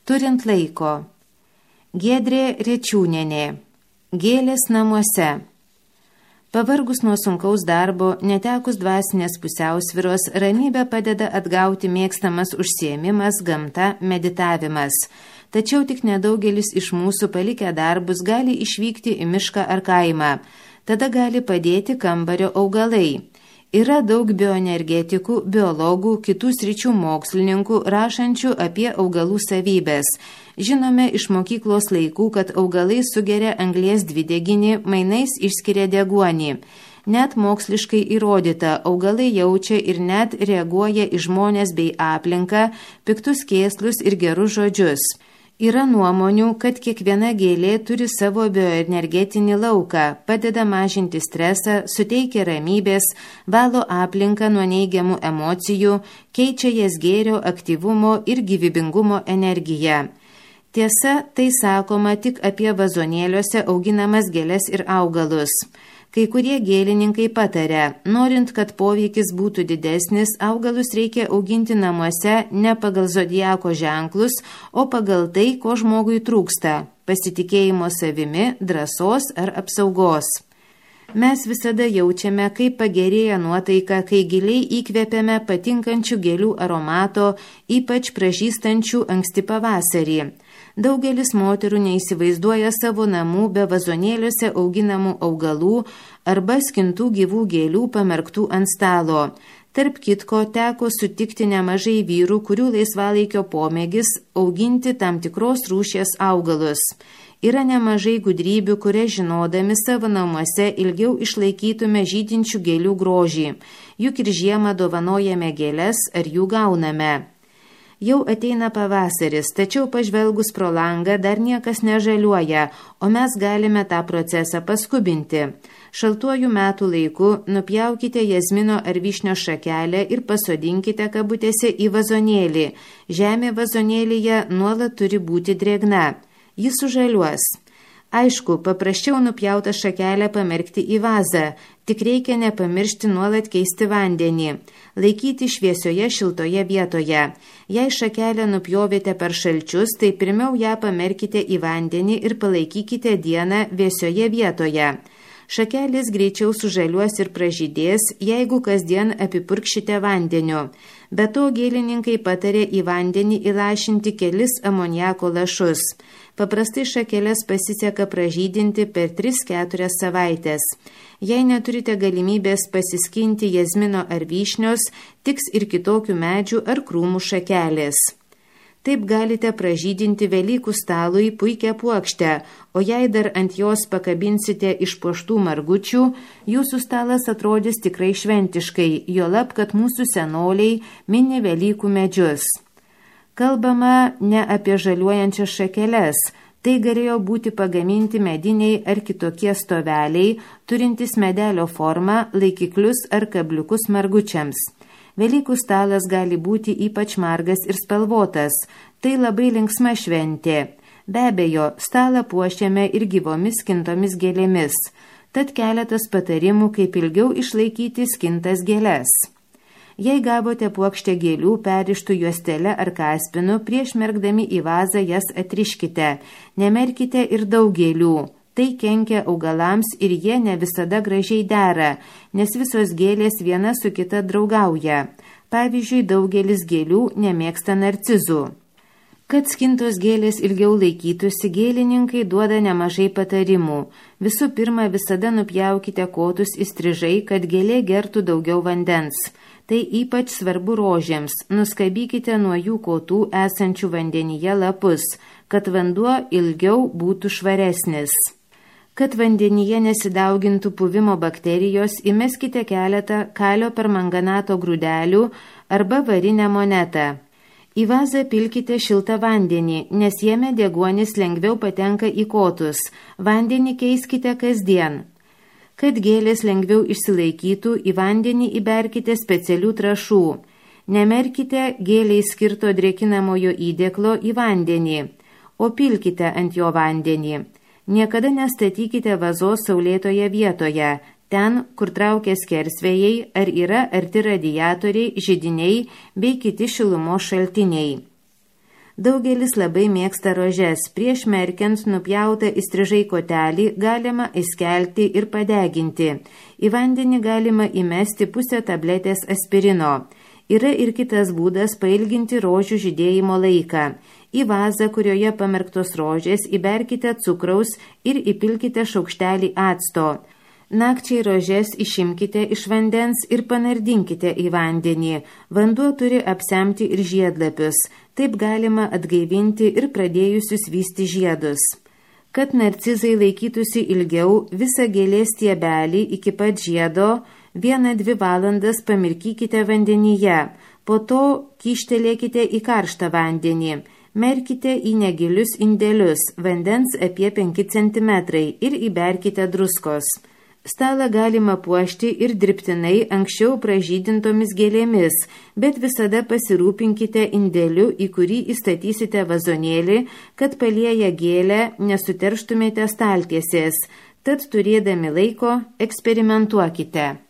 Turint laiko. Giedrė Rečiūnienė. Gėlės namuose. Pavargus nuo sunkaus darbo, netekus dvasinės pusiausvyros, ramybę padeda atgauti mėgstamas užsiėmimas, gamta, meditavimas. Tačiau tik nedaugelis iš mūsų palikę darbus gali išvykti į mišką ar kaimą. Tada gali padėti kambario augalai. Yra daug bioenergetikų, biologų, kitų sričių mokslininkų, rašančių apie augalų savybės. Žinome iš mokyklos laikų, kad augalai sugeria anglies dvideginį, mainais išskiria deguonį. Net moksliškai įrodyta, augalai jaučia ir net reaguoja į žmones bei aplinką, piktus kėslus ir gerus žodžius. Yra nuomonių, kad kiekviena gėlė turi savo bioenergetinį lauką, padeda mažinti stresą, suteikia ramybės, valo aplinką nuo neigiamų emocijų, keičia jas gėrio, aktyvumo ir gyvybingumo energiją. Tiesa, tai sakoma tik apie vazonėliuose auginamas gėles ir augalus. Kai kurie gėlininkai pataria, norint, kad poveikis būtų didesnis, augalus reikia auginti namuose ne pagal zodiako ženklus, o pagal tai, ko žmogui trūksta – pasitikėjimo savimi, drąsos ar apsaugos. Mes visada jaučiame, kaip pagerėja nuotaika, kai giliai įkvepiame patinkančių gėlių aromato, ypač pražystančių anksti pavasarį. Daugelis moterų neįsivaizduoja savo namų be vazonėliuose auginamų augalų arba skintų gyvų gėlių pamerktų ant stalo. Tarp kitko teko sutikti nemažai vyrų, kurių laisvalaikio pomėgis auginti tam tikros rūšies augalus. Yra nemažai gudrybių, kurie žinodami savo namuose ilgiau išlaikytume žydinčių gėlių grožį. Juk ir žiemą dovanojame gėles ar jų gauname. Jau ateina pavasaris, tačiau pažvelgus pro langą dar niekas nežaliuoja, o mes galime tą procesą paskubinti. Šaltuoju metų laiku nupjaukite jazmino ar vyšnio šakelę ir pasodinkite kabutėse į vazonėlį. Žemė vazonėlyje nuolat turi būti drėgna. Jis sužaliuos. Aišku, paprasčiau nupjautą šakelę pamerkti į vazą, tik reikia nepamiršti nuolat keisti vandenį, laikyti šviesioje šiltoje vietoje. Jei šakelę nupjovėte per šalčius, tai pirmiau ją pamerkite į vandenį ir palaikykite dieną vėsioje vietoje. Šakelės greičiau sužaliuos ir pražydės, jeigu kasdien apipurkšite vandeniu. Be to gėlininkai patarė į vandenį įlašinti kelis amoniako lašus. Paprastai šakeles pasiseka pražydinti per 3-4 savaitės. Jei neturite galimybės pasiskinti jazmino ar vyšnios, tiks ir kitokių medžių ar krūmų šakelės. Taip galite pražydinti Velykų stalui puikią puokštę, o jei dar ant jos pakabinsite išpuoštų margučių, jūsų stalas atrodys tikrai šventiškai, juolab, kad mūsų senoliai mini Velykų medžius. Kalbama ne apie žaliuojančias šakeles, tai galėjo būti pagaminti mediniai ar kitokie stoveliai, turintys medelio formą, laikiklius ar kabliukus margučiams. Velykų stalas gali būti ypač margas ir spalvotas, tai labai linksma šventė. Be abejo, stalą puošiame ir gyvomis skintomis gėlėmis, tad keletas patarimų, kaip ilgiau išlaikyti skintas gėles. Jei gavote puokštę gėlių perištų juostele ar kaspinu, prieš merkdami į vazą jas atriškite. Nemerkite ir daug gėlių. Tai kenkia augalams ir jie ne visada gražiai dera, nes visos gėlės viena su kita draugauja. Pavyzdžiui, daugelis gėlių nemėgsta narcizų. Kad skintos gėlės ilgiau laikytųsi, gėlininkai duoda nemažai patarimų. Visų pirma, visada nupjaukite kotus įstrižai, kad gėlė gertų daugiau vandens. Tai ypač svarbu rožėms. Nuskabykite nuo jų kotų esančių vandenyje lapus, kad vanduo ilgiau būtų švaresnis. Kad vandenyje nesidaugintų puvimo bakterijos, įmeskite keletą kalio permanganato grūdelių arba varinę monetą. Į vazą pilkite šiltą vandenį, nes jame deguonis lengviau patenka į kotus. Vandenį keiskite kasdien. Kad gėlės lengviau išsilaikytų, į vandenį įberkite specialių trąšų. Nemerkite gėliai skirto drėkinamojo įdėklo į vandenį, o pilkite ant jo vandenį. Niekada nestatykite vazos saulėtoje vietoje, ten, kur traukia skersvėjai, ar yra arti radiatoriai, židiniai bei kiti šilumos šaltiniai. Daugelis labai mėgsta rožes. Prieš merkiant nupjautą įstrižai kotelį galima įskelti ir padeginti. Į vandenį galima įmesti pusę tabletės aspirino. Yra ir kitas būdas pailginti rožių žydėjimo laiką. Į vazą, kurioje pamerktos rožės, įberkite cukraus ir įpilkite šaukštelį acto. Nakčiai rožes išimkite iš vandens ir panardinkite į vandenį. Vanduo turi apsemti ir žiedlapius. Taip galima atgaivinti ir pradėjusius vysti žiedus. Kad narcizai laikytųsi ilgiau, visą gėlės stiebelį iki pat žiedo 1-2 valandas pamirkykite vandenyje. Po to kyštelėkite į karštą vandenį. Merkite į negilius indelius, vandens apie 5 cm ir įberkite druskos. Stalą galima puošti ir dirbtinai anksčiau pražydintomis gėlėmis, bet visada pasirūpinkite indeliu, į kurį įstatysite vazonėlį, kad palieję gėlę nesuterštumėte staltiesės. Tad turėdami laiko eksperimentuokite.